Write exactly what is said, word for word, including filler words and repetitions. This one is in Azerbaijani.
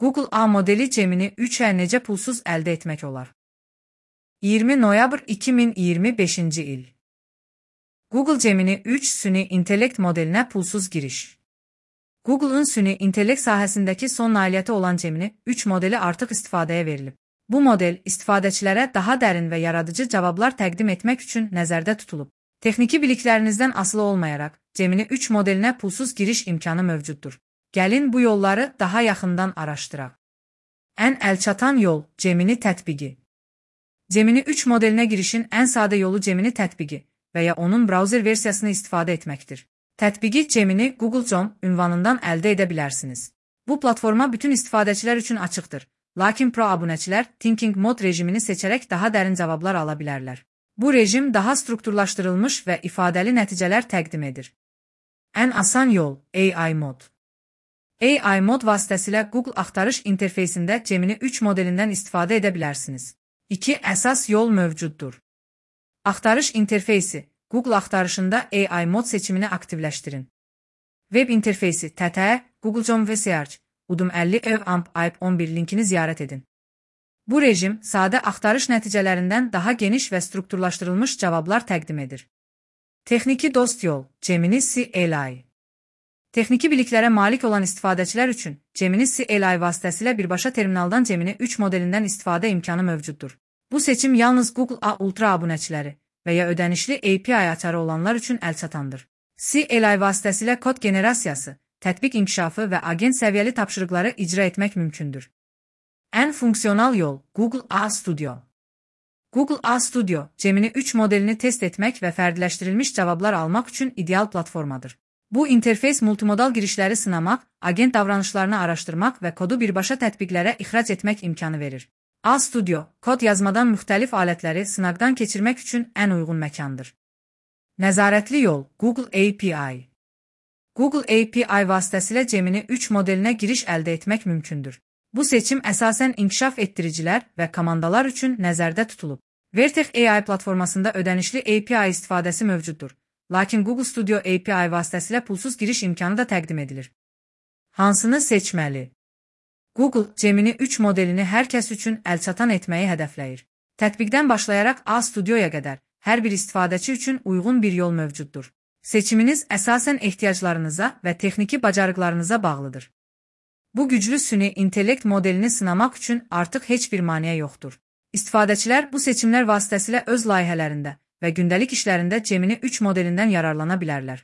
Google A modeli Gemini üçə necə pulsuz əldə etmək olar? iyirmi noyabr iki min iyirmi beşinci il. Google Gemini üç süni intellekt modelinə pulsuz giriş. Google'ın süni intellekt sahəsindəki son nailiyyəti olan Gemini üç modeli artıq istifadəyə verilib. Bu model istifadəçilərə daha dərin və yaradıcı cavablar təqdim etmək üçün nəzərdə tutulub. Texniki biliklərinizdən asılı olmayaraq, Gemini üç modelinə pulsuz giriş imkanı mövcuddur. Gəlin bu yolları daha yaxından araşdıraq. Ən əlçatan yol Gemini tətbiqi. Gemini üç modelinə girişin ən sadə yolu Gemini tətbiqi və ya onun brauzer versiyasını istifadə etməkdir. Tətbiqi Gemini Google Chrome ünvanından əldə edə bilərsiniz. Bu platforma bütün istifadəçilər üçün açıqdır, lakin pro abunəçilər Thinking Mode rejimini seçərək daha dərin cavablar ala bilərlər. Bu rejim daha strukturlaşdırılmış və ifadəli nəticələr təqdim edir. Ən asan yol A I mod. A I mod vasitəsilə Google axtarış interfeysində Gemini üç modelindən istifadə edə bilərsiniz. İki əsas yol mövcuddur. Axtarış interfeysi Google axtarışında A I mod seçimini aktivləşdirin. Web interfeysi T T, Google Chrome və Search, Udum əlli ev amp ayp on bir linkini ziyarət edin. Bu rejim sadə axtarış nəticələrindən daha geniş və strukturlaşdırılmış cavablar təqdim edir. Texniki dost yol Gemini C L I. Texniki biliklərə malik olan istifadəçilər üçün Gemini C L I vasitəsilə birbaşa terminaldan Gemini üç modelindən istifadə imkanı mövcuddur. Bu seçim yalnız Google A Ultra abunəçiləri və ya ödənişli A P I açarı olanlar üçün əlçatandır. C L I vasitəsilə kod generasiyası, tətbiq inkişafı və agent səviyyəli tapşırıqları icra etmək mümkündür. Ən funksional yol Google A Studio. Google A Studio, Gemini üç modelini test etmək və fərdiləşdirilmiş cavablar almaq üçün ideal platformadır. Bu interfeys multimodal girişləri sınamaq, agent davranışlarını araşdırmaq və kodu birbaşa tətbiqlərə ixrac etmək imkanı verir. A Studio, kod yazmadan müxtəlif alətləri sınaqdan keçirmək üçün ən uyğun məkandır. Nəzarətli yol Google A P I. Google A P I vasitəsilə Gemini üç modelinə giriş əldə etmək mümkündür. Bu seçim əsasən inkişaf etdiricilər və komandalar üçün nəzərdə tutulub. Vertex A I platformasında ödənişli A P I istifadəsi mövcuddur, lakin Google Studio A P I vasitəsilə pulsuz giriş imkanı da təqdim edilir. Hansını seçməli? Google Gemini üç modelini hər kəs üçün əlçatan etməyi hədəfləyir. Tətbiqdən başlayaraq A Studioya qədər hər bir istifadəçi üçün uyğun bir yol mövcuddur. Seçiminiz əsasən ehtiyaclarınıza və texniki bacarıqlarınıza bağlıdır. Bu güclü süni intellekt modelini sınamaq üçün artıq heç bir maneə yoxdur. İstifadəçilər bu seçimlər vasitəsilə öz layihələrində və gündəlik işlərində Gemini üç modelindən yararlana bilərlər.